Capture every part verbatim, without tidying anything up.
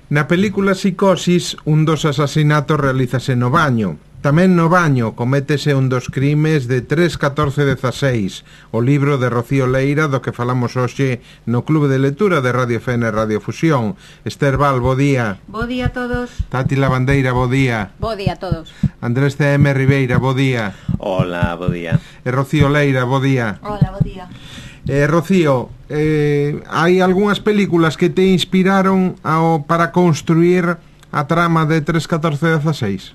Na película Psicosis, un dos asasinatos realízase no baño. Tamén no baño cométese un dos crimes de tres catorce dezaseis, o libro de Rocío Leira do que falamos hoxe no Clube de Lectura de Radio Fene e Radio Fusión. Esther Val, bo día. Bo día a todos. Tati Lavandeira, bo día. Bo día a todos. Andrés C M Ribeira, bo día. Hola, bo día. E Rocío Leira, bo día. Hola, bo día. Eh, Rocío, eh, hai algunhas películas que te inspiraron ao, para construir a trama de tres catorce dezaseis?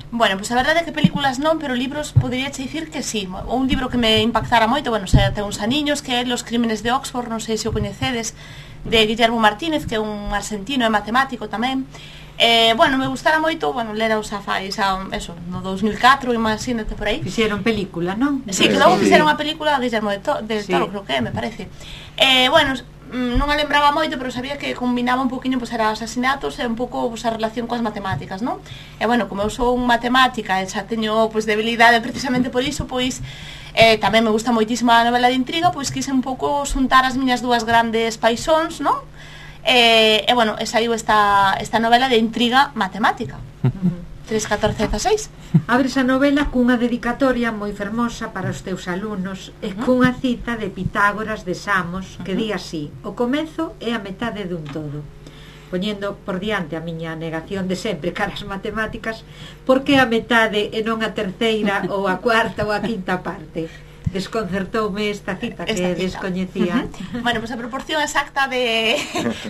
Bueno, pois pues a verdade é que películas non, pero libros podería che dicir que sí. Un libro que me impactara moito, bueno, xa ten uns aniños, que é Los crímenes de Oxford, non sei se o coñecedes, de Guillermo Martínez, que é un argentino e matemático tamén. Eh, bueno, me gustara moito, bueno, lera os afais a, eso, no dos mil catro, imagínate por aí. Fixeron película, non? Sí, que logo fixeron unha película de Guillermo de, to de sí. Toro, creo que é, me parece. Eh, bueno, non a lembraba moito, pero sabía que combinaba un poquinho, pois, era asasinatos e un pouco, pois, a relación coas matemáticas, non? E, bueno, como eu sou un matemática e xa teño, pois, debilidade precisamente por iso, pois, eh, tamén me gusta moitísimo a novela de intriga, pois, quise un pouco xuntar as miñas dúas grandes paixóns, non? E, e bueno, e saiu esta, esta novela de intriga matemática. tres catorce dezaseis. Abres a novela cunha dedicatoria moi fermosa para os teus alumnos e cunha cita de Pitágoras de Samos que di así: o comezo é a metade dun todo, poñendo por diante a miña negación de sempre cara as matemáticas. Por que a metade e non a terceira ou a cuarta ou a quinta parte? Desconcertoume esta cita que esta cita. Descoñecía. Uh-huh. Bueno, pois pues a proporción exacta de,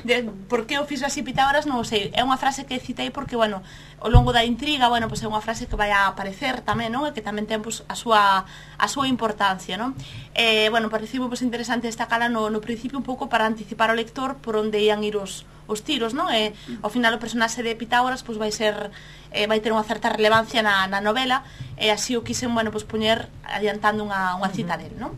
de por que o fixo así Pitágoras non o sei. É unha frase que citei porque, bueno, ao longo da intriga, bueno, pois pues é unha frase que vai a aparecer tamén, non? E que tamén ten, pois, a súa a súa importancia, non? Eh, bueno, pareceu pois interesante destacala no, no principio un pouco para anticipar ao lector por onde ian ir os os tiros, non? E ao final o personaxe de Pitágoras pois vai ser eh, vai ter unha certa relevancia na, na novela, e así o quisen, bueno, pois poñer adiantando unha, unha cita del, non?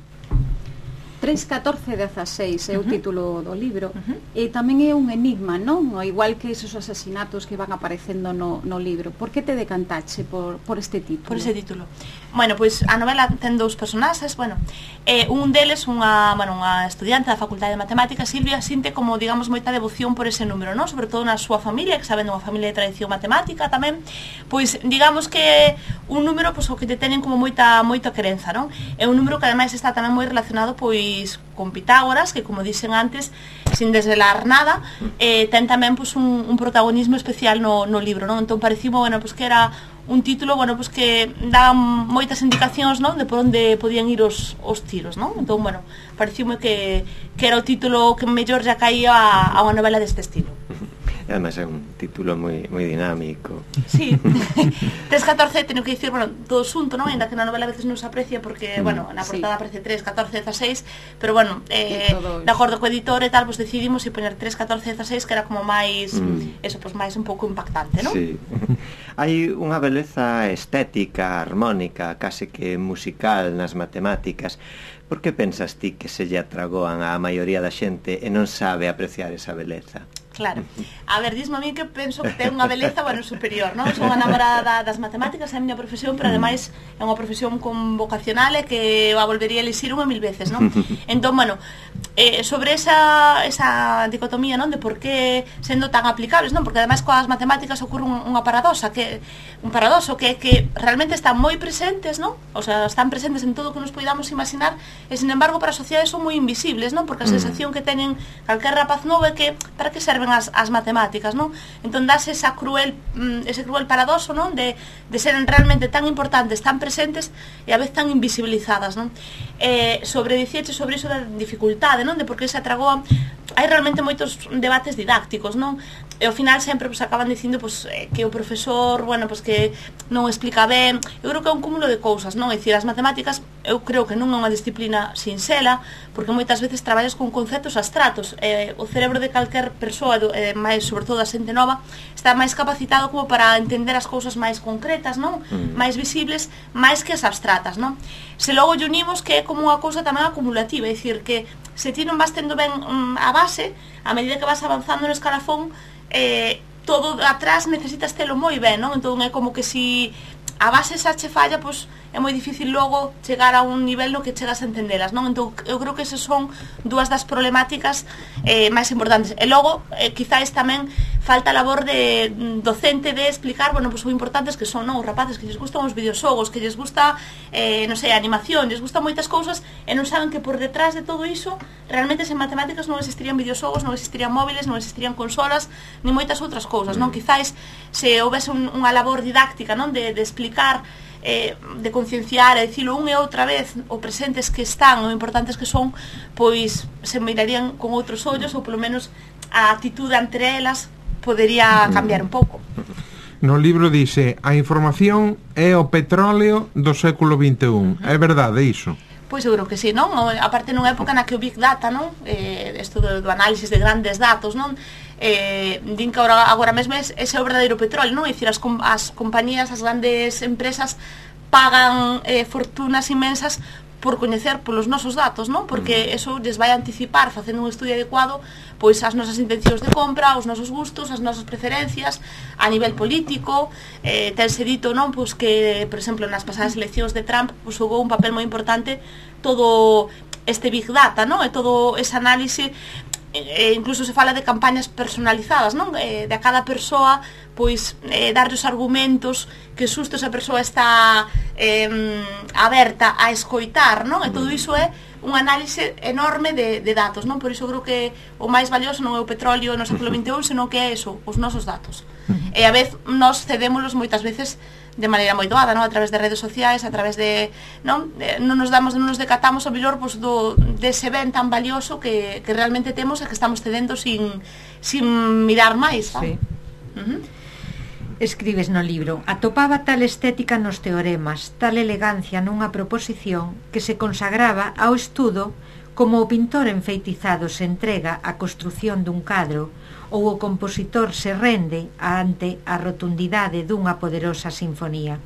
tres catorce dezaseis é o uh -huh. título do libro, uh -huh. e tamén é un enigma, non? Igual que esos asasinatos que van aparecendo no, no libro. Por que te decantache por, por este título? Por ese título. Bueno, pois a novela ten dous personaxes, bueno, eh, un deles, unha, bueno, unha estudiante da Facultade de Matemáticas, Silvia, sinte como, digamos, moita devoción por ese número, non? Sobre todo na súa familia, que sabendo unha familia de tradición matemática tamén, pois digamos que un número, pois, o que te tenen como moita moita querenza, non? É un número que ademais está tamén moi relacionado, pois, con Pitágoras, que, como dixen antes, sin desvelar nada, eh, ten tamén, pois, un, un protagonismo especial no, no libro, non? Entón parecime, bueno, pois, que era un título, bueno, pois, que daba moitas indicacións, non? De por onde podían ir os, os tiros, non? Entón, bueno, parecime que, que era o título que mellor ya caía a, a unha novela deste estilo. Además é un título moi moi dinámico. Sí. tres catorce, teño que dicir, bueno, todo xunto, non? Ainda que na novela a veces non se aprecia porque, mm, bueno, na portada sí. aparece tres catorce dezaseis, pero bueno, eh, de acordo co editor e tal, pues decidimos e poñer tres catorce dezaseis, que era como máis, mm. eso, pues máis un pouco impactante, non? Sí. Hai unha beleza estética, armónica, case que musical nas matemáticas. Por que pensas ti que se lle atragoan á maioría da xente e non sabe apreciar esa beleza? Claro. A ver, dismo a mí que penso que ten unha beleza, bueno, superior, non? Son unha namorada das matemáticas, é a miña profesión, pero ademais é unha profesión con vocacional e que a volvería a elixir unha mil veces, non? Entón, bueno, eh, sobre esa, esa dicotomía, non? De por que sendo tan aplicables, non? Porque ademais coas matemáticas ocorre un, unha paradoxa, que un paradoxo que que realmente están moi presentes, non? O sea, están presentes en todo o que nos poidamos imaginar, e sin embargo para a sociedade son moi invisibles, non? Porque a sensación que teñen calquer rapaz novo é que para que serve As, as matemáticas, non? Entón dase esa cruel, ese cruel paradoxo, non? De, de seren realmente tan importantes, tan presentes e a vez tan invisibilizadas, non? Eh, sobre dicirche sobre iso da dificultade, non? De por que se atragoan, hai realmente moitos debates didácticos, non? E ao final sempre pues, acaban dicindo pues, eh, que o profesor, bueno, pues, que non explica ben. Eu creo que é un cúmulo de cousas, non? É dicir, as matemáticas eu creo que non é unha disciplina sinxela, porque moitas veces traballas con conceptos abstratos. Eh, o cerebro de calquer persoa, eh, máis sobre todo a xente nova, está máis capacitado como para entender as cousas máis concretas, non? Mm. Máis visibles, máis que as abstratas, non? Se logo lle unimos que é como unha cousa tamén acumulativa, é dicir, que se ti non vas tendo ben um, a base, a medida que vas avanzando no escalafón, eh, todo atrás necesitas telo moi ben, non? Entón é como que si a base xa che falla, pois é moi difícil logo chegar a un nivel no que chegas a entendelas, non? Entón eu creo que esas son dúas das problemáticas eh, máis importantes. E logo, eh, quizáis tamén falta a labor de docente de explicar, bueno, pues o importantes que son, non, os rapaces que lles gustan os videoxogos, que lles gusta, eh, non sei, a animación, lles gustan moitas cousas e non saben que por detrás de todo iso realmente sen matemáticas non existirían videoxogos, non existirían móviles, non existirían consolas, ni moitas outras cousas, non? Quizáis se houvese un, unha labor didáctica, non, de, de explicar, eh, de concienciar, e dicilo unha e outra vez o presentes que están, o importantes que son, pois se mirarían con outros ollos, ou polo menos a atitude entre elas podería cambiar un pouco. No libro dice: a información é o petróleo do século vinte e un. É verdade iso? Pois seguro que sí, non? Aparte nunha época na que o Big Data, non? Eh, isto do, do análisis de grandes datos, non? Eh, din que agora, agora mesmo ese é o verdadeiro petróleo, non? É dicir, as, as compañías, as grandes empresas pagan eh, fortunas inmensas por coñecer polos nosos datos, non? Porque eso lles vai anticipar, facendo un estudio adecuado, pois as nosas intencións de compra, os nosos gustos, as nosas preferencias a nivel político. Eh, tense dito, non? Pois que, por exemplo, nas pasadas eleccións de Trump, pois jugou un papel moi importante todo este Big Data, non? E todo ese análise, e incluso se fala de campañas personalizadas, non? Eh, de a cada persoa, pois, eh, darlle os argumentos que xusto esa persoa está eh, aberta a escoitar, non? E todo iso é un análise enorme de, de datos, non? Por iso creo que o máis valioso non é o petróleo no século vinte e un, senón que é eso, os nosos datos. E a vez nos cedémolos moitas veces de maneira moi doada, non? A través de redes sociais, a través de, non, de, non nos damos, non nos decatamos o mellor, pois, do dese ben tan valioso que, que realmente temos e que estamos cedendo sin, sin mirar máis, non? Sí. Uh-huh. Escribes no libro: atopaba tal estética nos teoremas, tal elegancia nunha proposición, que se consagraba ao estudo como o pintor enfeitizado se entrega á construción dun cadro, ou o compositor se rende ante a rotundidade dunha poderosa sinfonía.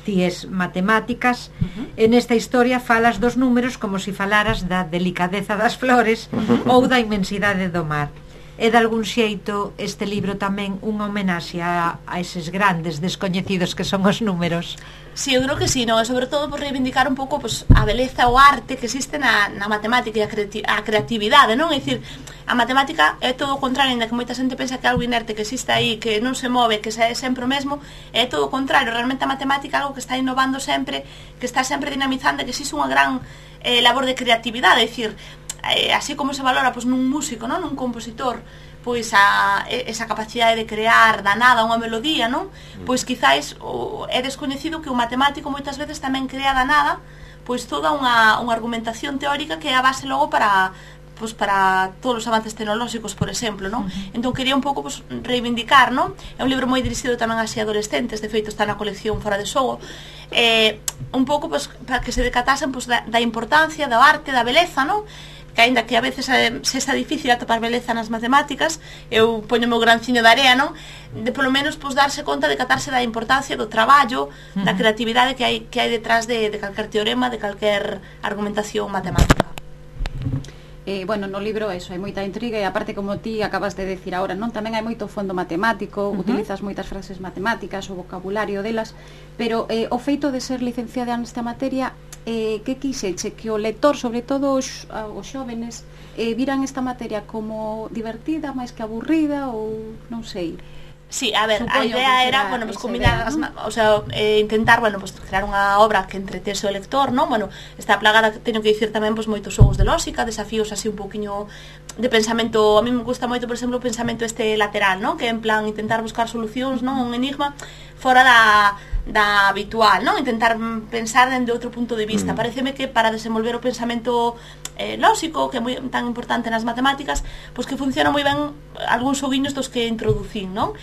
Ti es matemáticas, uh-huh. e nesta historia falas dos números como se si falaras da delicadeza das flores ou da inmensidade do mar. É de algún xeito este libro tamén unha homenaxe a, a eses grandes descoñecidos que son os números? Sí, eu creo que sí, non? E sobre todo por reivindicar un pouco, pues, a beleza, o arte que existe na, na matemática e a, creati a creatividade, non? É dicir, a matemática é todo o contrario, ainda que moita xente pensa que é algo inerte, que existe aí, que non se move, que é sempre o mesmo, é todo o contrario. Realmente a matemática é algo que está innovando sempre, que está sempre dinamizando, que existe unha gran eh, labor de creatividade, é dicir, eh, así como se valora, pois, nun músico, non? Nun compositor, pois a, esa capacidade de crear da nada unha melodía, non? Pois quizáis o, é descoñecido que o matemático moitas veces tamén crea da nada, pois toda unha, unha argumentación teórica que é a base logo para, pois, para todos os avances tecnolóxicos, por exemplo, non? Entón quería un pouco, pois, reivindicar, non? É un libro moi dirixido tamén a adolescentes, de feito está na colección Fora de Xogo, eh, un pouco, pois, para que se decatasen, pois, da, da importancia, da arte, da beleza, non? Que aínda que a veces eh, se está difícil atopar beleza nas matemáticas, eu poño o meu granciño de area, non? De polo menos, pois, darse conta de catarse da importancia do traballo, uh-huh. da creatividade que hai, que hai detrás de, de calquer teorema, de calquer argumentación matemática. Eh, bueno, no libro eso, hai moita intriga e aparte, como ti acabas de decir agora, non? Tamén hai moito fondo matemático, uh-huh. utilizas moitas frases matemáticas, o vocabulario delas, pero eh, o feito de ser licenciada nesta materia, eh, que quixeche? Que o lector, sobre todo os, os xóvenes, eh, viran esta materia como divertida, máis que aburrida, ou non sei... Sí, a ver, Supoño a idea era, bueno, pues combinar, idea, ¿no? as, o sea, eh, intentar, bueno, pues crear unha obra que entretese o lector, non? Bueno, está plagada, teño que dicir tamén, pues moitos xogos de lógica, desafíos así un poquinho de pensamento. A mí me gusta moito, por exemplo, o pensamento este lateral, non? Que en plan intentar buscar solucións, non? Un enigma fora da da habitual, non? Intentar pensar dende outro punto de vista. Mm. Pareceme que para desenvolver o pensamento eh, lóxico, que é moi tan importante nas matemáticas, pois que funciona moi ben algúns xoguiños dos que introducín, non?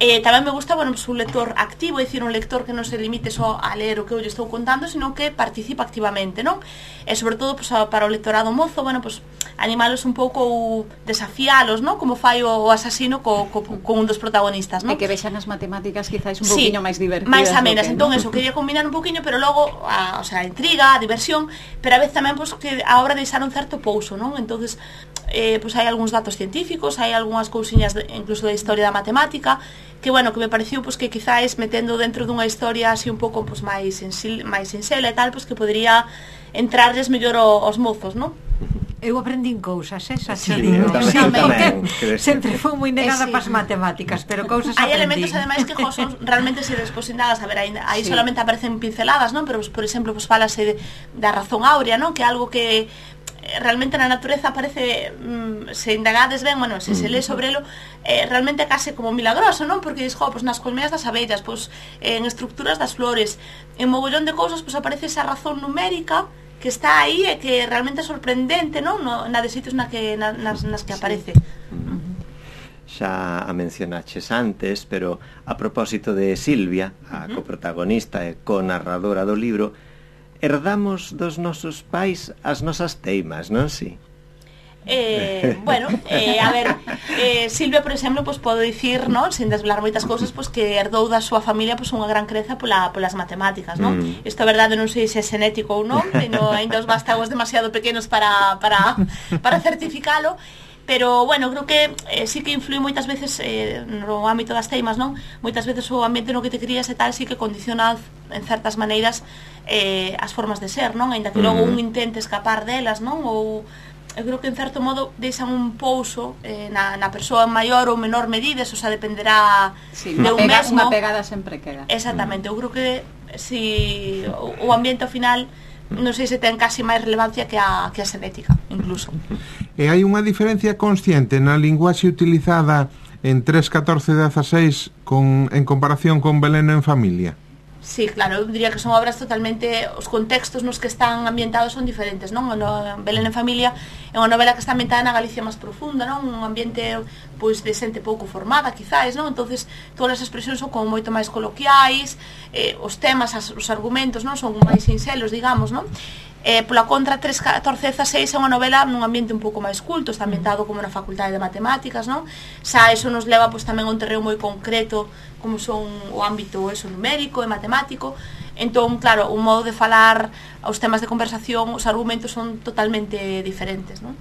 Eh, tamén me gusta, bueno, pues, un lector activo, é dicir, un lector que non se limite só a ler o que eu lle estou contando, sino que participa activamente, non? E sobre todo, pues, para o lectorado mozo, bueno, pues, animalos un pouco ou desafialos, non? Como fai o asasino co, co, con un dos protagonistas, non? E que vexan as matemáticas quizás un sí, poquinho máis divertidas. máis amenas, entón, eso, quería combinar un poquinho, pero logo, a, o sea, a intriga, a diversión, pero a vez tamén, pues, que a obra deixar un certo pouso, non? Entonces, eh, pues, hai algúns datos científicos, hai algunhas cousiñas, de, incluso da historia da matemática, que, bueno, que me pareceu, pues, que quizás metendo dentro dunha historia así un pouco, pues, máis sinxela e tal, pues, que podría entrarles mellor os mozos, non? Eu aprendín cousas, eh, xa Sí, te digo. eu tamén, Sí, eu porque tamén, creo que sempre fui moi negada Eh, sí. para as matemáticas, pero cousas Hai aprendín. elementos ademais que jo, son realmente se despois indagas, a ver, aí, aí Sí. solamente aparecen pinceladas, non? Pero, por exemplo, pues falase de, da razón áurea, non? Que é algo que eh, realmente na natureza aparece, mm, se indagades ben, bueno, se se lee sobre elo, eh, realmente é case como milagroso, non? Porque dis, jo, pues nas colmeas das abellas, pues en estructuras das flores, en mogollón de cousas, pues aparece esa razón numérica que está aí e que realmente é sorprendente, non? No, na de sitios na que, na, nas, nas que aparece. Xa a mencionaches antes, pero a propósito de Silvia, a coprotagonista e co-narradora do libro, herdamos dos nosos pais as nosas teimas, non si? Eh, bueno, eh, a ver, eh, Silvia, por exemplo, pues, podo dicir, non, sin desvelar moitas cousas, pues, que herdou da súa familia pues, unha gran creza pola, polas matemáticas, non? Mm. Isto é verdade, non sei se é xenético ou non, no, ainda os vástagos demasiado pequenos para, para, para certificalo, pero, bueno, creo que eh, sí que influi moitas veces eh, no ámbito das teimas, non? Moitas veces o ambiente no que te crías e tal sí que condiciona en certas maneiras eh, as formas de ser, non? Ainda que logo un intente escapar delas, non? Ou eu creo que en certo modo deixan un pouso eh, na, na persoa en maior ou menor medida, eso xa dependerá Sí, de unha, un pega, mesmo. unha pegada sempre queda. Exactamente, eu creo que si o, o ambiente ao final non sei se ten casi máis relevancia que a, que a xenética, incluso. E hai unha diferencia consciente na linguaxe utilizada en tres, catorce, dezaseis con, en comparación con Belén en familia? Sí, claro, eu diría que son obras totalmente, os contextos nos que están ambientados son diferentes, non? No, Belén en familia é unha novela que está ambientada na Galicia máis profunda, non? Un ambiente pois de xente pouco formada, quizáis, non? Entonces, todas as expresións son como moito máis coloquiais, eh, os temas, as, os argumentos, non? Son máis sincelos, digamos, non? Eh, pola contra, tres, catorce, dezaseis é unha novela nun ambiente un pouco máis culto, está ambientado como na facultade de matemáticas, non? Xa eso nos leva pois, tamén a un terreo moi concreto, como son o ámbito eso, numérico e matemático. Entón, claro, un modo de falar, os temas de conversación, os argumentos son totalmente diferentes, non?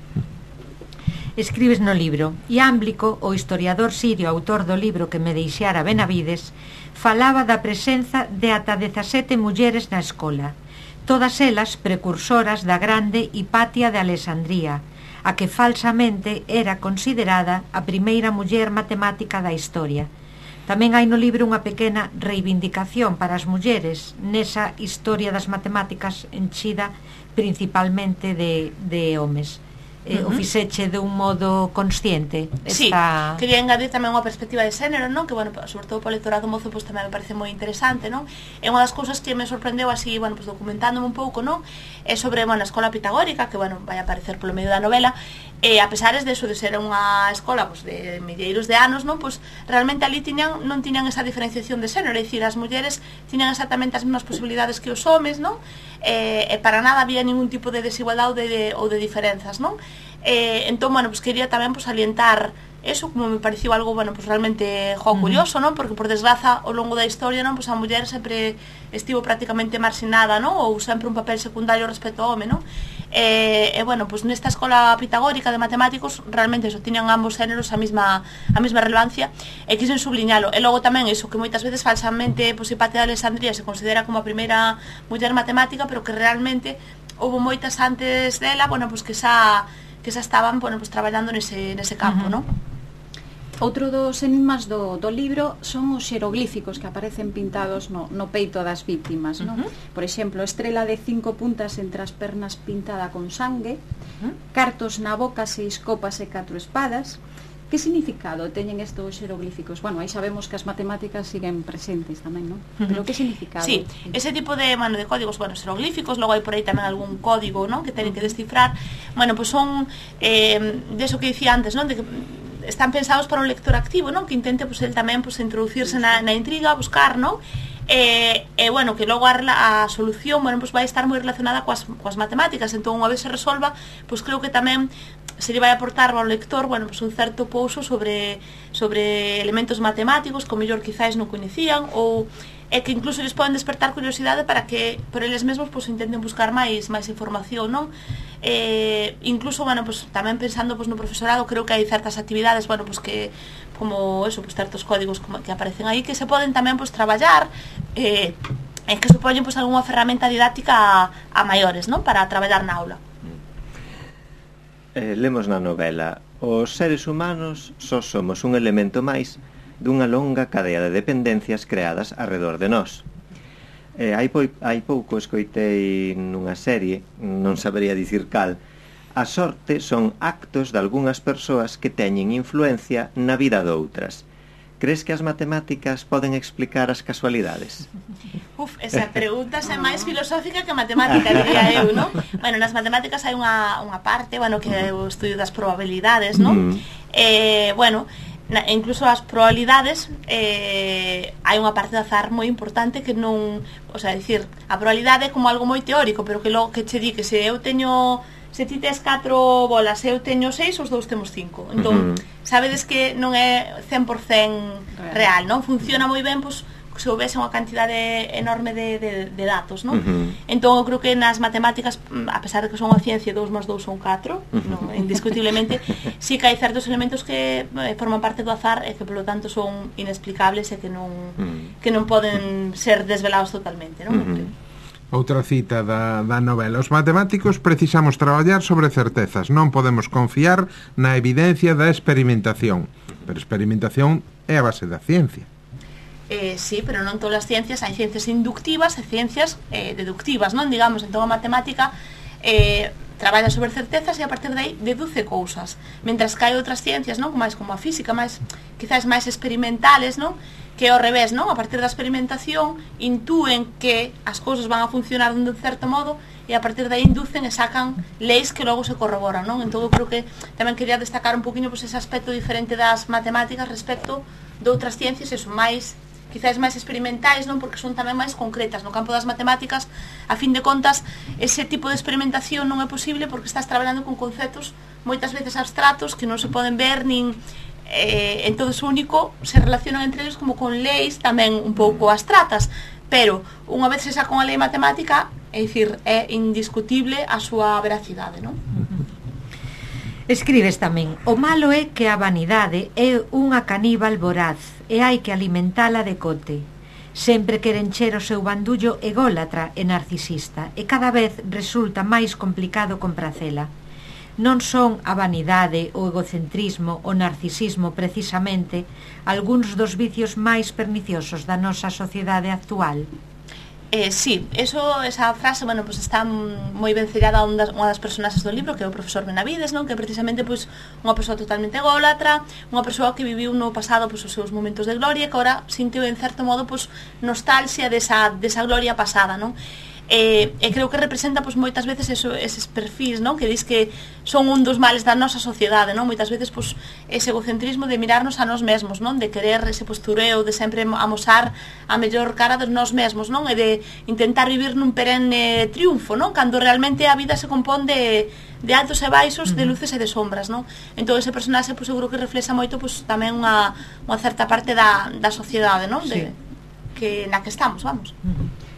Escribes no libro: Iámblico, o historiador sirio autor do libro que me deixara Benavides, falaba da presenza de ata dezasete mulleres na escola, todas elas precursoras da grande Hipatia de Alexandría, a que falsamente era considerada a primeira muller matemática da historia. Tamén hai no libro unha pequena reivindicación para as mulleres nesa historia das matemáticas enchida principalmente de, de homes. Eh, uh -huh. O fixeche de un modo consciente Sí, esta... quería engadir tamén unha perspectiva de xénero, non? Que, bueno, sobre todo para o lectorado mozo, pues, tamén me parece moi interesante, non? É unha das cousas que me sorprendeu así, bueno, pues, documentándome un pouco, non? É sobre, bueno, a escola pitagórica, que, bueno, vai aparecer polo medio da novela, e a pesares de eso, de ser unha escola, pues, de milleiros de anos, non? Pues, realmente ali tiñan, non tiñan esa diferenciación de xénero, é dicir, as mulleres tiñan exactamente as mesmas posibilidades que os homes, non? E, e para nada había ningún tipo de desigualdade ou de, de, ou de diferenzas, non? Eh, entón, bueno, pues quería tamén pues, alientar eso, como me pareció algo, bueno, pues realmente jo, curioso, non? Porque por desgraza ao longo da historia, non, pues a muller sempre estivo prácticamente marxinada, non? Ou sempre un papel secundario respecto ao home, non? E, eh, bueno, pues nesta escola pitagórica de matemáticos realmente eso, tiñan ambos géneros a mesma a mesma relevancia e quixen subliñalo. E logo tamén eso, que moitas veces falsamente pues, Hipatia de Alexandría se considera como a primeira muller matemática, pero que realmente houve moitas antes dela, bueno, pues que xa que xa estaban, bueno, pues traballando nese nese campo, uh -huh. non? Outro dos enigmas do, do libro son os xeroglíficos que aparecen pintados no, no peito das víctimas, uh -huh. non? Por exemplo, estrela de cinco puntas entre as pernas pintada con sangue, uh -huh. cartos na boca, seis copas e catro espadas. Que significado teñen estos xeroglíficos? Bueno, aí sabemos que as matemáticas siguen presentes tamén, non? Pero que significado? Sí, ese tipo de, bueno, de códigos, bueno, xeroglíficos, logo hai por aí tamén algún código, non? Que teñen que descifrar. Bueno, pues son eh, de eso que dicía antes, non? De que están pensados para un lector activo, non? Que intente, pues, el tamén, pues, introducirse na, na intriga, buscar, non? E, eh, eh, bueno, que logo a, a solución, bueno, pues vai estar moi relacionada coas, coas matemáticas. Entón, unha vez se resolva, pues creo que tamén se lle vai aportar ao lector, bueno, pues un certo pouso sobre sobre elementos matemáticos que o mellor quizáis non coñecían, ou é que incluso lles poden despertar curiosidade para que por eles mesmos pues intenten buscar máis máis información, non? Eh, incluso, bueno, pues tamén pensando pues no profesorado, creo que hai certas actividades, bueno, pues que como eso, pues certos códigos como que aparecen aí que se poden tamén pues traballar eh en que supoñen pues algunha ferramenta didáctica a, a maiores, non? Para traballar na aula. Eh, lemos na novela: os seres humanos só somos un elemento máis dunha longa cadea de dependencias creadas arredor de nós. Eh, hai, po hai pouco escoitei nunha serie, non sabería dicir cal, a sorte son actos de algunhas persoas que teñen influencia na vida de outras. Crees que as matemáticas poden explicar as casualidades? Uf, esa pregunta é máis filosófica que matemática, diría eu, non? Bueno, nas matemáticas hai unha, unha parte, bueno, que é o estudio das probabilidades, non? Mm. Eh, bueno, na, incluso as probabilidades eh, hai unha parte de azar moi importante que non, o sea, dicir, a probabilidade é como algo moi teórico, pero que logo que che di que se eu teño, se ti tes catro bolas e eu teño seis, os dous temos cinco. Entón, uh -huh. sabedes que non é cen por cen real, non? Funciona moi ben, pois, se houvese unha cantidade enorme de, de, de datos, non? Uh -huh. Entón, eu creo que nas matemáticas, a pesar de que son unha ciencia, dous máis dous son catro, uh -huh. non, indiscutiblemente, sí que hai certos elementos que eh, forman parte do azar e que, polo tanto, son inexplicables e que non, uh -huh. que non poden ser desvelados totalmente, non? Uh -huh. Outra cita da, da novela: os matemáticos precisamos traballar sobre certezas, non podemos confiar na evidencia da experimentación, pero experimentación é a base da ciencia. Eh, sí, pero non todas as ciencias, hai ciencias inductivas e ciencias eh, deductivas, non? Digamos, entón a matemática eh, traballa sobre certezas e a partir de aí deduce cousas, mentras que hai outras ciencias, non? Máis como a física, máis, quizás máis experimentales, non? Que ao revés, non? A partir da experimentación intúen que as cousas van a funcionar de un certo modo e a partir de aí inducen e sacan leis que logo se corroboran, non? Entón eu creo que tamén quería destacar un poquinho pois, ese aspecto diferente das matemáticas respecto de outras ciencias, e son máis quizás máis experimentais, non? Porque son tamén máis concretas. No campo das matemáticas, a fin de contas, ese tipo de experimentación non é posible porque estás traballando con conceptos moitas veces abstratos que non se poden ver nin eh, en todo o único, se relacionan entre eles como con leis tamén un pouco abstratas, pero unha vez se saca unha lei matemática, é dicir, é indiscutible a súa veracidade, non? Escribes tamén: o malo é que a vanidade é unha caníbal voraz e hai que alimentala de cote. Sempre quere encher o seu bandullo ególatra e narcisista e cada vez resulta máis complicado compracela. Non son a vanidade, o egocentrismo, o narcisismo precisamente algúns dos vicios máis perniciosos da nosa sociedade actual? Eh, sí, eso, esa frase, bueno, pues está moi ben sellada a unha das, unha das personaxes do libro, que é o profesor Benavides, non? Que precisamente pois unha persoa totalmente ególatra, unha persoa que viviu no pasado pois os seus momentos de gloria, que agora sintiu en certo modo pois nostalgia desa, desa gloria pasada, non? E, e creo que representa pois moitas veces eso, eses perfis, non? Que dis que son un dos males da nosa sociedade, non? Moitas veces pois ese egocentrismo de mirarnos a nós mesmos, non? De querer ese postureo, de sempre amosar a mellor cara de nós mesmos, non? E de intentar vivir nun perenne triunfo, non? Cando realmente a vida se compón de, de altos e baixos, de luces e de sombras, non? Entón ese personaxe pois seguro que reflexa moito pois tamén unha, unha certa parte da, da sociedade, non? De, sí. que, na que estamos, vamos.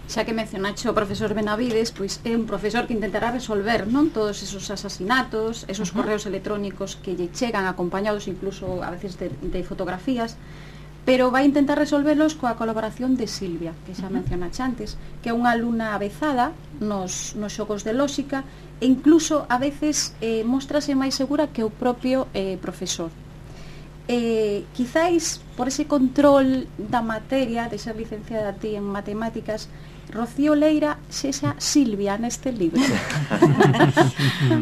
Xa que mencionaxe o profesor Benavides, pois é un profesor que intentará resolver, non, todos esos asasinatos, esos uh -huh. correos electrónicos que lle chegan acompañados incluso a veces de, de fotografías, pero vai intentar resolverlos coa colaboración de Silvia, que xa uh -huh. mencionaxe antes, que é unha alumna avezada nos, nos xogos de lóxica e incluso a veces eh, mostrase máis segura que o propio eh, profesor. Eh, quizáis por ese control da materia de ser licenciada ti en matemáticas, Rocío Leira sexa Silvia neste libro.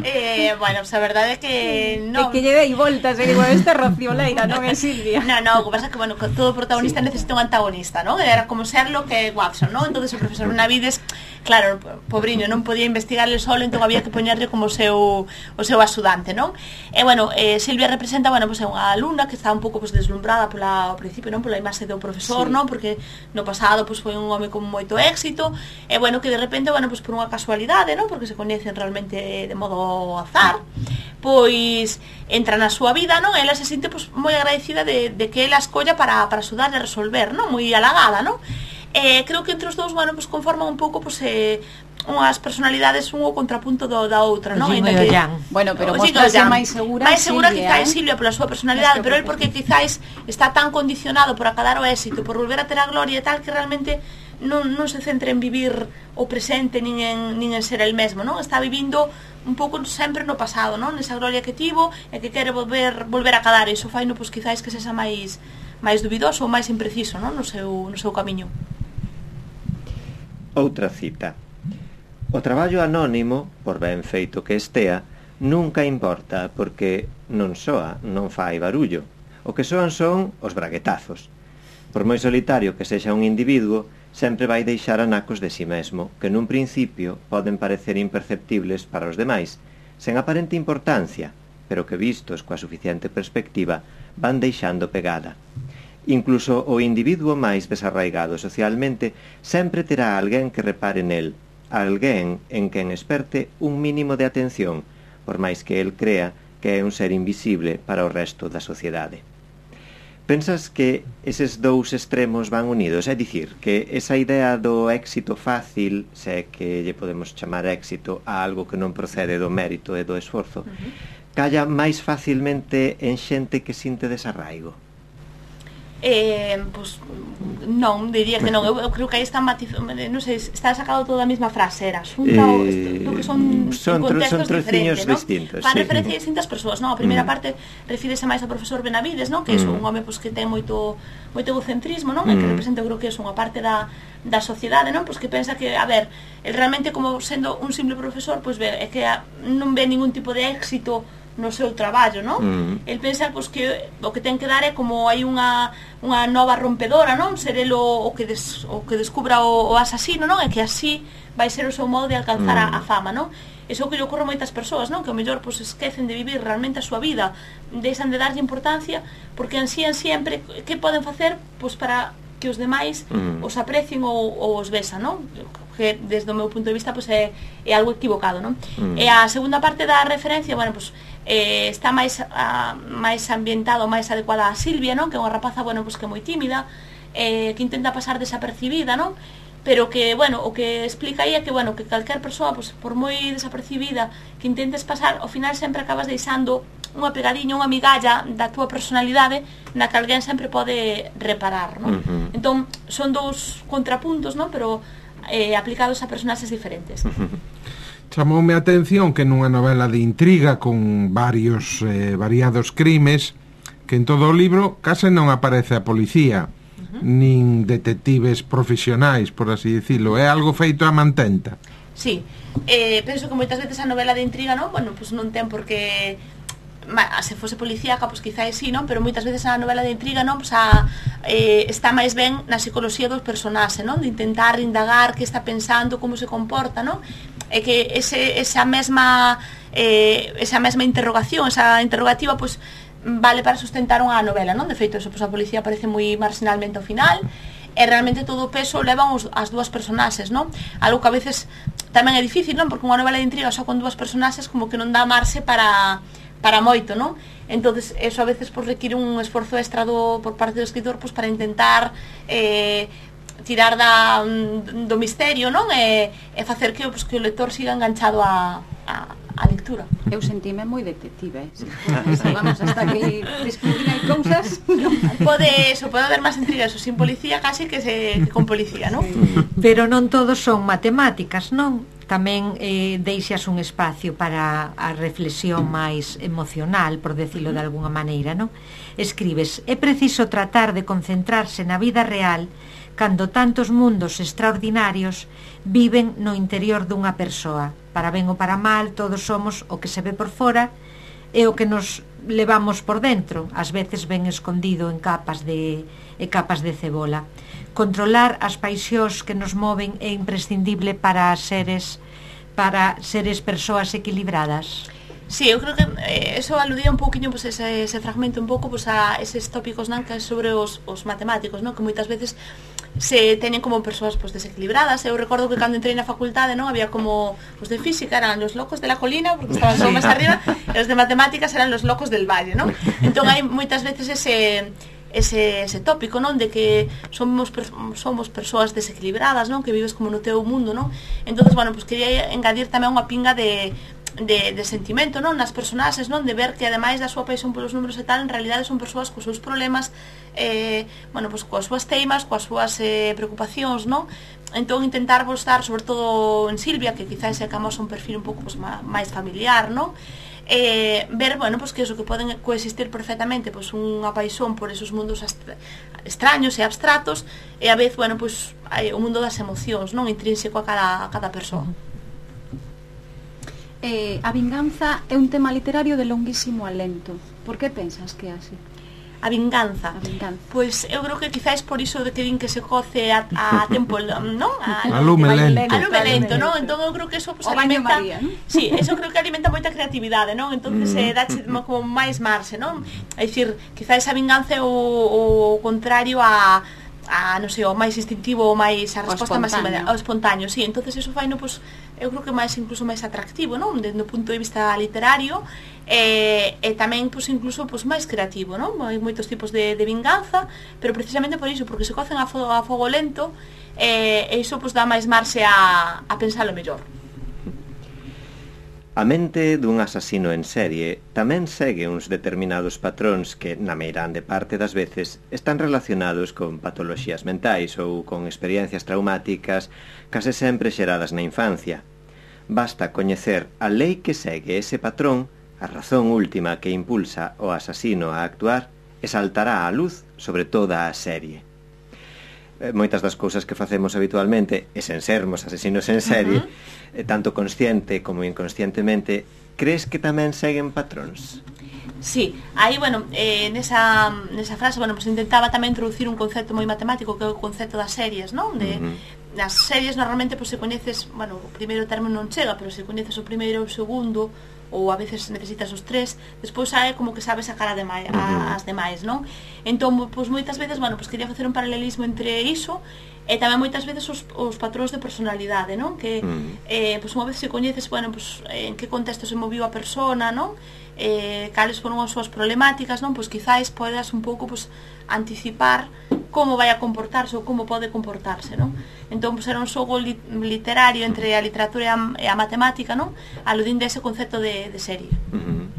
eh, bueno, pues a verdade é que non. É que lle dei voltas e digo, este é Rocío Leira, non é Silvia. No, no, o que pasa é que, bueno, todo protagonista sí. necesita un antagonista, ¿no? Era como Sherlock e Watson, ¿no? Entonces o profesor Benavides, claro, pobriño, non podía investigarle solo, entón había que poñerle como o seu, o seu axudante, non? E, bueno, eh, Silvia representa, bueno, pues, é unha alumna que está un pouco pues, deslumbrada pola, ao principio, non? Pola imaxe do profesor, sí. non? Porque no pasado pues, foi un home con moito éxito, e bueno, que de repente, bueno, pues por unha casualidade, non? Porque se coñecen realmente de modo azar, pois entra na súa vida, non? Ela se sinte pues, moi agradecida de, de que ela escolla para, para axudarle a resolver, non? Moi halagada, non? E creo que entre os dous, bueno, pues conforman un pouco pues, eh, unhas personalidades un o contrapunto do, da outra, non? Jimmy e Jan. Bueno, pero mostrase máis segura máis segura Silvia, quizás eh? Silvia pola súa personalidade, pero él porque quizás está tan condicionado por acadar o éxito, por volver a ter a gloria e tal, que realmente non, non se centra en vivir o presente nin en, nin en ser el mesmo, non? Está vivindo un pouco sempre no pasado, non? Nesa gloria que tivo e que quere volver volver a cadar, e iso fai no, pois, quizáis que sexa máis máis dubidoso ou máis impreciso, non? No seu, no seu camiño. Outra cita. O traballo anónimo, por ben feito que estea, nunca importa, porque non soa, non fai barullo. O que soan son os braguetazos. Por moi solitario que sexa un individuo, sempre vai deixar anacos de si mesmo, que nun principio poden parecer imperceptibles para os demais, sen aparente importancia, pero que vistos coa suficiente perspectiva, van deixando pegada. Incluso o individuo máis desarraigado socialmente sempre terá alguén que repare nel, alguén en quen esperte un mínimo de atención, por máis que el crea que é un ser invisible para o resto da sociedade. Pensas que eses dous extremos van unidos? É dicir, que esa idea do éxito fácil, se é que lle podemos chamar éxito a algo que non procede do mérito e do esforzo, uh-huh. calla máis facilmente en xente que sinte desarraigo? Eh, pues, non, diría que non. Eu, eu creo que aí está matiz, non sei, está sacado toda a mesma frase, era xunta eh, o que son, son contextos son diferentes, ¿no? distintos. Fan sí. referencia a distintas persoas, non? A primeira mm. parte refírese máis ao profesor Benavides, non? Que é mm. un home pois, que ten moito moito egocentrismo, non? Mm. E que representa, eu creo que é unha parte da da sociedade, non? Pois que pensa que, a ver, el realmente como sendo un simple profesor, pois ve, é que a, non ve ningún tipo de éxito no seu traballo, non? Mm. El pensa pois, que o que ten que dar é como hai unha, unha nova rompedora, non? Ser el o, o, que, des, o que descubra o, o asasino, non? E que así vai ser o seu modo de alcanzar mm. a, a fama, non? Iso que lle ocorre a moitas persoas, non? Que ao mellor pois, esquecen de vivir realmente a súa vida, deixan de darlle importancia, porque ansían sempre que poden facer pois, para que os demais mm. os aprecien ou, ou os besan, non? Que desde o meu punto de vista pois, é, é algo equivocado, non? Mm. E a segunda parte da referencia, bueno, pois eh, está máis a, máis ambientado, máis adecuada a Silvia, non? Que é unha rapaza, bueno, pois que é moi tímida, eh, que intenta pasar desapercibida, non? Pero que, bueno, o que explica aí é que, bueno, que calquer persoa, pois, por moi desapercibida que intentes pasar, ao final sempre acabas deixando unha pegadiña, unha migalla da túa personalidade na que alguén sempre pode reparar, non? Uh-huh. Entón, son dous contrapuntos, non? Pero eh, aplicados a personaxes diferentes. Uh-huh. Chamoume a atención que nunha novela de intriga con varios eh, variados crimes, que en todo o libro case non aparece a policía, uh-huh. nin detectives profesionais, por así dicilo. É algo feito a mantenta. Sí, eh, penso que moitas veces a novela de intriga, non? Bueno, pois non ten por que se fose policíaca, pois quizás sí, non? Pero moitas veces a novela de intriga, non? Pois a, eh, está máis ben na psicología dos personaxes, non? De intentar indagar que está pensando, como se comporta, non? É que ese, esa mesma eh, esa mesma interrogación, esa interrogativa, pois vale para sustentar unha novela, non? De feito, eso, pois a policía parece moi marginalmente ao final, e realmente todo o peso levan os, as dúas personaxes, non? Algo que a veces tamén é difícil, non? Porque unha novela de intriga só con dúas personaxes como que non dá marxe para para moito, non? Entonces, eso a veces pois, require un esforzo extra do, por parte do escritor pois, para intentar eh, tirar da, do misterio, non? E, e facer que, pois, que o lector siga enganchado a, a, a lectura. Eu sentime moi detective, eh? Si vamos hasta que descubrir hai cousas. Pode, eso, pode haber máis intriga, eso, sin policía casi que, se, que con policía, non? Pero non todos son matemáticas, non? Tamén eh, deixas un espacio para a reflexión máis emocional, por decirlo de alguna maneira, non? Escribes: é preciso tratar de concentrarse na vida real cando tantos mundos extraordinarios viven no interior dunha persoa. Para ben ou para mal, todos somos o que se ve por fora e o que nos levamos por dentro, ás veces ben escondido en capas de, e capas de cebola. Controlar as paixóns que nos moven é imprescindible para seres para seres persoas equilibradas. Sí, eu creo que eh, eso aludía un pouquiño pues, ese, ese fragmento un pouco pues, a eses tópicos non, que sobre os, os matemáticos, non? Que moitas veces se teñen como persoas pues, desequilibradas. Eu recordo que cando entrei na facultade non había como os de física eran los locos de la colina porque estaban só máis arriba, e os de matemáticas eran los locos del valle, non? Entón hai moitas veces ese ese, ese tópico, non? De que somos somos persoas desequilibradas, non? Que vives como no teu mundo, non? Entonces, bueno, pues quería engadir tamén unha pinga de de, de sentimento, non, nas personaxes, non, de ver que ademais da súa paixón polos números e tal, en realidade son persoas cos seus problemas, eh, bueno, pues, coas súas teimas, coas súas eh, preocupacións, non? Entón intentar mostrar, sobre todo en Silvia, que quizás é que amosa un perfil un pouco pues, máis familiar, non? Eh, ver, bueno, pues, que eso, que poden coexistir perfectamente pues, unha paixón por esos mundos extraños e abstratos, e a vez, bueno, pues, o mundo das emocións, non, intrínseco a cada, a cada persoa. Eh, a vinganza é un tema literario de longuísimo alento. Por que pensas que é así? A vinganza. A vinganza. Pois eu creo que quizás por iso de que din que se coce a, a tempo, non? A, a lume lento. A lume lento, non? Entón eu creo que eso pues, alimenta... María, ¿no? Sí, eso creo que alimenta moita creatividade, non? Entonces mm. eh, dache como máis marxe, non? É dicir, quizás a vinganza é o, o contrario a... a, non sei, o máis instintivo, o máis a resposta máis inmediata, o espontáneo, sí, entonces eso fai, no, pues, eu creo que máis incluso máis atractivo, non, desde o punto de vista literario, e, e tamén, pues, incluso, pues, máis creativo, non, hai moitos tipos de, de vinganza, pero precisamente por iso, porque se cocen a fogo, a fogo lento, e, e iso, pues, dá máis marxe a, a pensalo mellor. A mente dun asasino en serie tamén segue uns determinados patróns que, na meirande parte das veces, están relacionados con patoloxías mentais ou con experiencias traumáticas case sempre xeradas na infancia. Basta coñecer a lei que segue ese patrón, a razón última que impulsa o asasino a actuar, e saltará á luz sobre toda a serie. Moitas das cousas que facemos habitualmente, e sen sermos asesinos en serie, uh-huh. tanto consciente como inconscientemente, crees que tamén seguen patróns? Sí, aí, bueno, eh, nesa, nesa frase, bueno, pues intentaba tamén introducir un concepto moi matemático, que é o concepto das series, non? De, uh-huh. Nas series normalmente, pues, se coñeces, bueno, o primeiro termo non chega, pero se coñeces o primeiro e o segundo, ou a veces necesitas os tres, despois hai como que sabes sacar a demais, a, as demais, non? Entón, pois moitas veces, bueno, pois quería facer un paralelismo entre iso e tamén moitas veces os, os patróns de personalidade, non? Que, mm. eh, pois unha vez se coñeces, bueno, pois en que contexto se moviu a persona, non? Eh, cales foron as súas problemáticas, non? Pois quizáis podes un pouco, pois, anticipar como vai a comportarse ou como pode comportarse, non? Entón, pues, era un xogo li literario entre a literatura e a, e a matemática, non? Aludindo a ese concepto de, de serie. Uh-huh.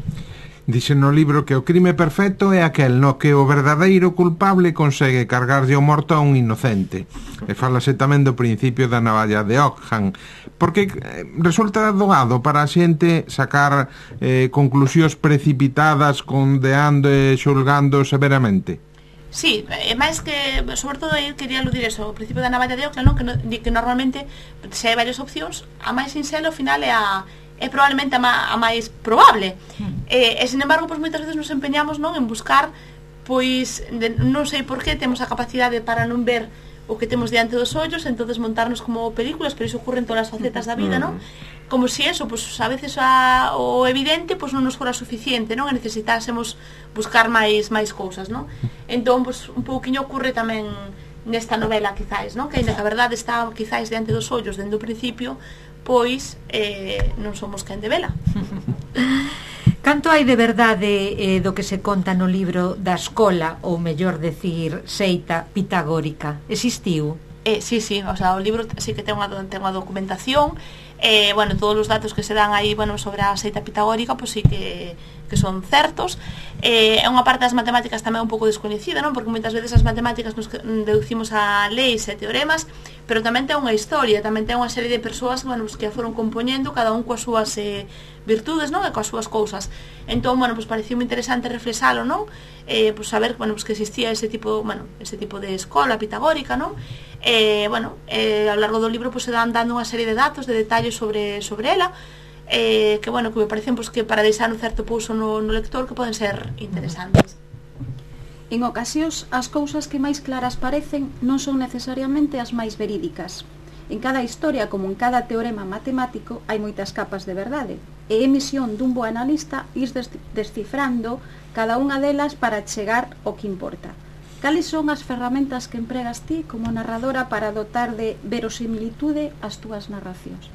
Dixe no libro que o crime perfecto é aquel no que o verdadeiro culpable consegue cargarlle o morto a un inocente. E falase tamén do principio da navalla de Ockham, porque resulta doado para a xente sacar eh, conclusións precipitadas condeando e xulgando severamente. Sí, é máis que, sobre todo, eu quería aludir eso, o principio da navalla de Ockham, non? Que, no, que normalmente, se hai varias opcións, a máis sincera ao final é a é probablemente a, ma, a máis probable. Mm. E, e, sin embargo, pois, moitas veces nos empeñamos, non, en buscar, pois, de, non sei por que temos a capacidade para non ver o que temos diante dos ollos, entonces montarnos como películas, pero iso ocurre en todas as facetas da vida, non? Como se eso, pues, a veces a, o evidente pues, non nos fora suficiente, non? E necesitásemos buscar máis máis cousas, non? Entón, pues, un pouquiño ocurre tamén nesta novela, quizáis, non? Que ainda que a verdade está quizáis diante dos ollos dende o principio, pois eh, non somos quen de vela. Canto hai de verdade eh, do que se conta no libro da escola, ou mellor decir, seita pitagórica? Existiu? Eh, sí, sí, o sea, o libro sí que ten unha, ten unha documentación, eh, bueno, todos os datos que se dan aí, bueno, sobre a seita pitagórica, pois pues sí que, que son certos. É eh, unha parte das matemáticas tamén un pouco descoñecida, non? Porque moitas veces as matemáticas nos deducimos a leis e teoremas, pero tamén ten unha historia, tamén ten unha serie de persoas, bueno, pues, que a foron compoñendo, cada un coas súas eh, virtudes, non? E coas súas cousas. Entón, bueno, pues pareceu moi interesante reflexalo, non? Eh, pues saber, bueno, pues que existía ese tipo, bueno, ese tipo de escola pitagórica, non? Eh, bueno, eh, a lo largo do libro pues, se dan dando unha serie de datos, de detalles sobre, sobre ela, eh, que, bueno, que me parecen pues, que para deixar un certo pouso no, no lector que poden ser interesantes. En ocasións, as cousas que máis claras parecen non son necesariamente as máis verídicas. En cada historia, como en cada teorema matemático, hai moitas capas de verdade, e é misión dun bo analista ir descifrando cada unha delas para chegar ao que importa. Cales son as ferramentas que empregas ti como narradora para dotar de verosimilitude as túas narracións?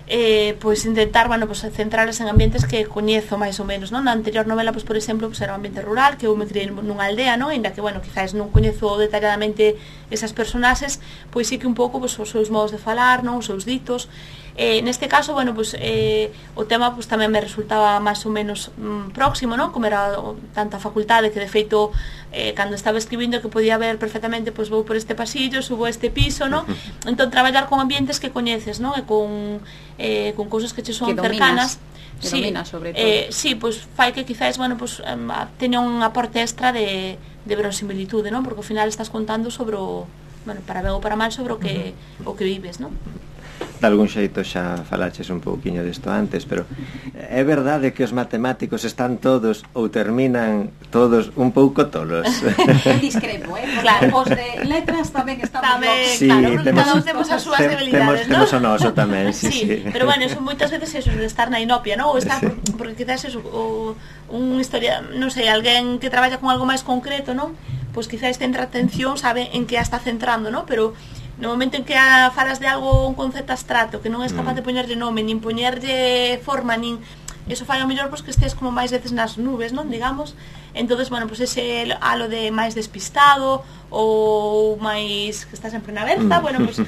Eh, pois intentar, bueno, pues, centrarles en ambientes que coñezo máis ou menos, non? Na anterior novela, pues, por exemplo, pues, era un ambiente rural, que eu me criei nunha aldea, non? Ainda que, bueno, quizás non coñezo detalladamente esas personaxes, pois sí que un pouco, pues, os seus modos de falar, non? Os seus ditos, Eh, neste caso, bueno, pues, eh, o tema pues, tamén me resultaba máis ou menos mm, próximo, non? Como era o, tanta facultade que de feito eh, cando estaba escribindo que podía ver perfectamente pois pues, vou por este pasillo, subo a este piso, non? Entón traballar con ambientes que coñeces, non? E con, eh, con cousas que che son que cercanas. Que sí, domina sobre todo. Eh, sí, pois pues, fai que quizás, bueno, pues, um, teña un aporte extra de, de verosimilitude, non? Porque ao final estás contando sobre o, bueno, para ben ou para mal, sobre o que, o que vives, non? De algún xeito xa falaches un pouquiño disto antes, pero é verdade que os matemáticos están todos ou terminan todos un pouco tolos. Discrepo, eh? Claro. Os de letras tamén estamos Tamén, locos. Sí, claro, temos- cada un temos as súas Tem- debilidades, temos, non? temos o noso tamén, sí, sí, sí, pero bueno, eso moitas veces eso de estar na inopia, non? Ou estar, Sí. porque quizás eso, o, un historia, non sei, alguén que traballa con algo máis concreto, non? Pois quizás centra atención, sabe en que a está centrando, non? Pero no momento en que a falas de algo, un concepto abstracto, que non és capaz de poñerlle nome, nin poñerlle forma, nin... Eso fai ao mellor pois, que estés como máis veces nas nubes, non? Digamos. Entonces, bueno, pois ese halo de máis despistado ou máis que está sempre na berza, bueno, pois...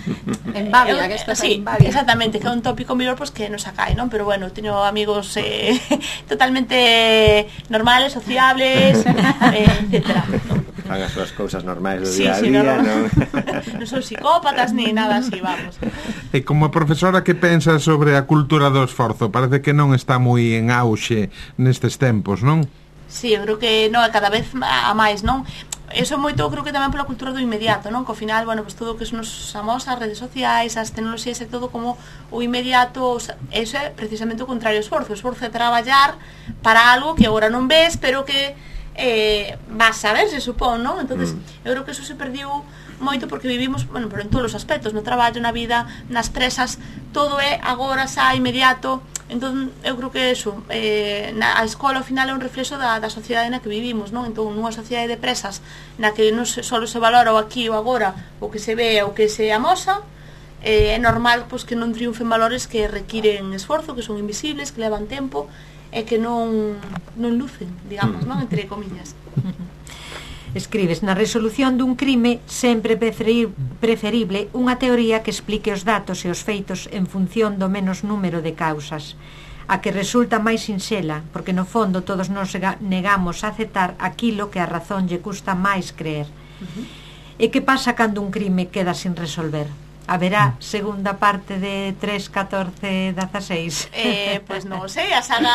En Bavia, eh, que estás sí, en Bavia. exactamente, que é un tópico mellor pois, que nos acai, non? Pero bueno, teño amigos eh, totalmente normales, sociables, eh, etcétera, non? Fan as súas cousas normais do Sí, día a sí, día, no, non? non son psicópatas ni nada así, vamos. E como profesora, que pensa sobre a cultura do esforzo? Parece que non está moi en auxe nestes tempos, non? Sí, eu creo que no, cada vez a máis, non? Eso moito creo que tamén pola cultura do inmediato, non? Que ao final, bueno, pues todo o que son os amos, as redes sociais, as tecnoloxías e todo como o inmediato, o sea, eso é precisamente o contrario ao esforzo. O esforzo é traballar para algo que agora non ves, pero que eh, vas a ver, se supón, non? Entonces, mm. eu creo que eso se perdiu moito porque vivimos, bueno, pero en todos os aspectos, no traballo, na vida, nas presas, todo é agora, xa, inmediato. Entón, eu creo que eso, eh, na, a escola ao final é un reflexo da, da sociedade na que vivimos, non? Entón, nunha sociedade de presas na que non se, solo se valora o aquí o agora, o que se ve, o que se amosa, eh, é normal pois, que non triunfen valores que requiren esforzo, que son invisibles, que levan tempo e que non, non lucen, digamos, non? Entre comillas. Escribes, na resolución dun crime sempre preferi- preferible unha teoría que explique os datos e os feitos en función do menos número de causas, a que resulta máis sinxela, porque no fondo todos nos negamos a aceptar aquilo que a razón lle custa máis creer. Uh-huh. E que pasa cando un crime queda sin resolver? Haberá segunda parte de tres, catorce, dieciséis? Eh, pues non sei, a saga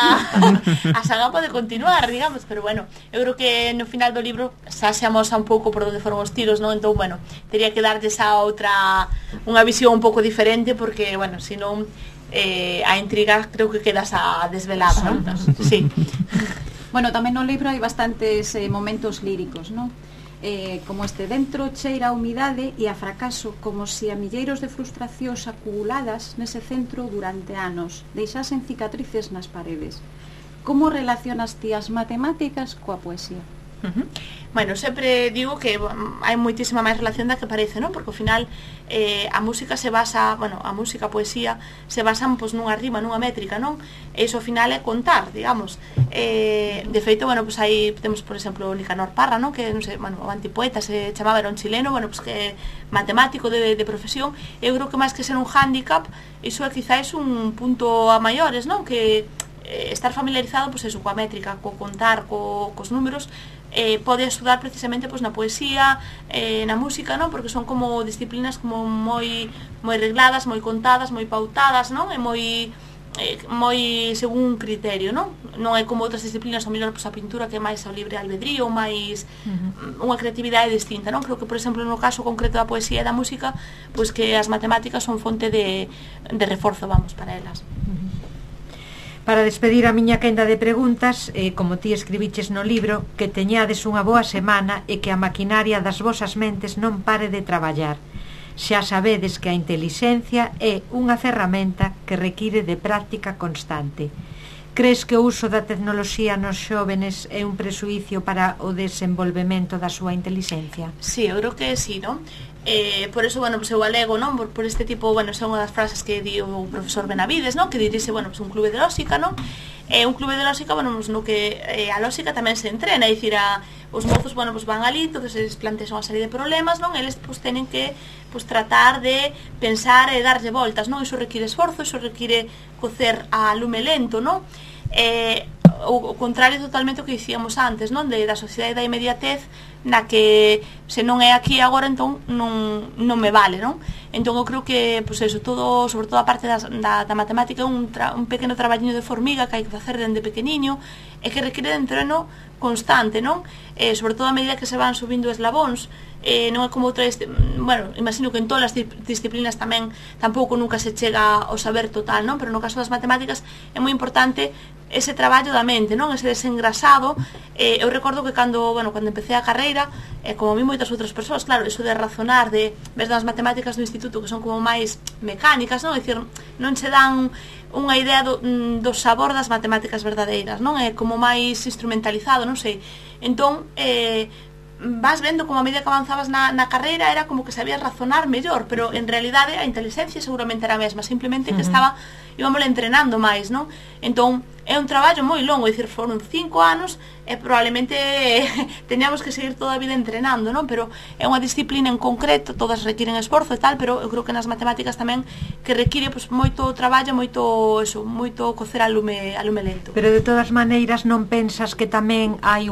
a saga pode continuar, digamos, pero bueno, eu creo que no final do libro xa se amosa un pouco por onde foron os tiros, non? Entón, bueno, teria que darlles a outra unha visión un pouco diferente porque, bueno, senón eh, a intriga creo que quedas a desvelada, non? Sí. Bueno, tamén no libro hai bastantes eh, momentos líricos, non? Eh, como este dentro cheira a humidade e a fracaso, como se a milleiros de frustracións acumuladas nese centro durante anos deixasen cicatrices nas paredes. Como relacionas ti as matemáticas coa poesía? Uh-huh. Bueno, sempre digo que um, hai moitísima máis relación da que parece, non? Porque ao final eh, a música se basa, bueno, a música, a poesía se basan pois, nunha rima, nunha métrica, non? E iso ao final é contar, digamos. Eh, de feito, bueno, pois aí temos, por exemplo, Nicanor Parra, non? Que, non sei, bueno, o antipoeta se chamaba, era un chileno, bueno, pois que matemático de, de profesión. Eu creo que máis que ser un hándicap, iso é quizáis un punto a maiores, non? Que eh, estar familiarizado, pois eso, coa métrica, co contar, co, cos números, eh, pode axudar precisamente pois, na poesía, eh, na música, non? Porque son como disciplinas como moi moi regladas, moi contadas, moi pautadas, non? E moi eh, moi según un criterio, non? Non é como outras disciplinas, ao mellor pois, a pintura que é máis ao libre albedrío, máis uh-huh. unha creatividade distinta, non? Creo que, por exemplo, no caso concreto da poesía e da música, pois que as matemáticas son fonte de, de reforzo, vamos, para elas. Uh-huh. Para despedir a miña quenda de preguntas, eh, como ti escribiches no libro, que teñades unha boa semana e que a maquinaria das vosas mentes non pare de traballar. Xa sabedes que a intelixencia é unha ferramenta que require de práctica constante. Crees que o uso da tecnoloxía nos xóvenes é un presuicio para o desenvolvemento da súa intelixencia? Sí, eu creo que sí, non? Eh, por eso, bueno, pues eu alego, non? Por, por este tipo, bueno, son unha das frases que di o profesor Benavides, non? Que dirixe, bueno, pues un clube de lóxica, non? É un clube de lógica, bueno, no que eh, a lógica tamén se entrena, é dicir, a, os mozos, bueno, pues van ali, entonces eles plantexan unha serie de problemas, non? Eles pues tenen que pues tratar de pensar e darlle voltas, non? Iso require esforzo, iso require cocer a lume lento, non? Eh, o, o contrario totalmente o que dicíamos antes, non? De, da sociedade da inmediatez, na que se non é aquí agora, entón non, non me vale, non? Entón eu creo que, pois eso, todo, sobre todo a parte das, da, da matemática, un, tra, un pequeno traballiño de formiga que hai que facer dende pequeniño e que require de entreno constante, non? Eh, sobre todo a medida que se van subindo eslabóns, eh, non é como outra, bueno, imagino que en todas as disciplinas tamén tampouco nunca se chega ao saber total, non? Pero no caso das matemáticas é moi importante ese traballo da mente, non? Ese desengrasado. Eh, eu recordo que cando, bueno, cando empecé a carreira, eh, como a mí moitas outras persoas, claro, eso de razonar, de ves das matemáticas do instituto que son como máis mecánicas, non? É dicir, non se dan unha idea do, do sabor das matemáticas verdadeiras, non? É como máis instrumentalizado, non sei. Entón, eh, vas vendo como a medida que avanzabas na, na carreira era como que sabías razonar mellor, pero en realidade a inteligencia seguramente era a mesma, simplemente que estaba, íbamos entrenando máis, non? Entón, é un traballo moi longo, é dicir, foron cinco anos e probablemente teníamos que seguir toda a vida entrenando, non? Pero é unha disciplina en concreto, todas requiren esforzo e tal, pero eu creo que nas matemáticas tamén que require pues, moito traballo, moito, eso, moito cocer a lume, a lume lento. Pero de todas maneiras non pensas que tamén hai